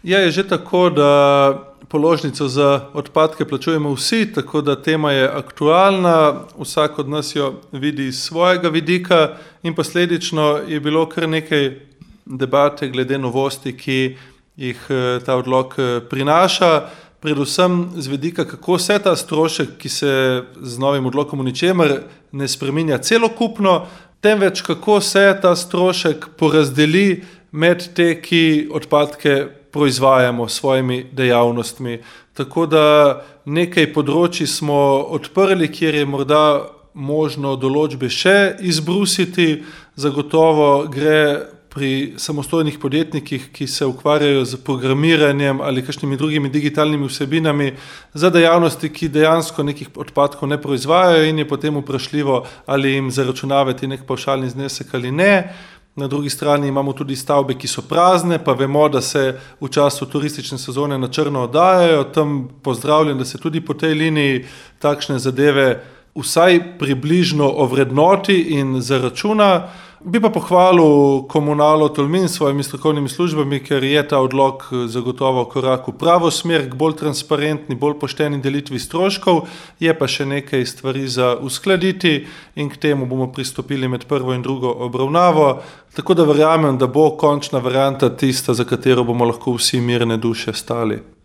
Ja, je že tako, da položnico za odpadke plačujemo vsi, tako da tema je aktualna, vsak od nas jo vidi iz svojega vidika in posledično je bilo kar nekaj debate glede novosti, ki jih ta odlok prinaša, predvsem z vidika, kako se ta strošek, ki se z novim odlokom v ničemer ne spreminja celokupno, temveč kako se ta strošek porazdeli med te, ki odpadke proizvajamo s svojimi dejavnostmi. Tako da nekaj področji smo odprli, kjer je morda možno določbe še izbrusiti, zagotovo gre pri samostojnih podjetnikih, ki se ukvarjajo z programiranjem ali kakšnimi drugimi digitalnimi vsebinami, za dejavnosti, ki dejansko nekih odpadkov ne proizvajajo in je potem vprašljivo, ali jim zaračunavati nek pavšalni znesek ali ne. Na drugi strani imamo tudi stavbe, ki so prazne, pa vemo, da se v času turistične sezone na črno oddajajo. Tam pozdravljam, da se tudi po tej liniji takšne zadeve vsaj približno ovrednoti in zaračuna. Bi pa pohvalil Komunalo Tolmin s svojimi strokovnimi službami, ker je ta odlok zagotovo korak v pravo smer, k bolj transparentni, bolj pošteni delitvi stroškov, je pa še nekaj stvari za uskladiti in k temu bomo pristopili med prvo in drugo obravnavo, tako da verjamem, da bo končna varianta tista, za katero bomo lahko vsi mirne duše stali.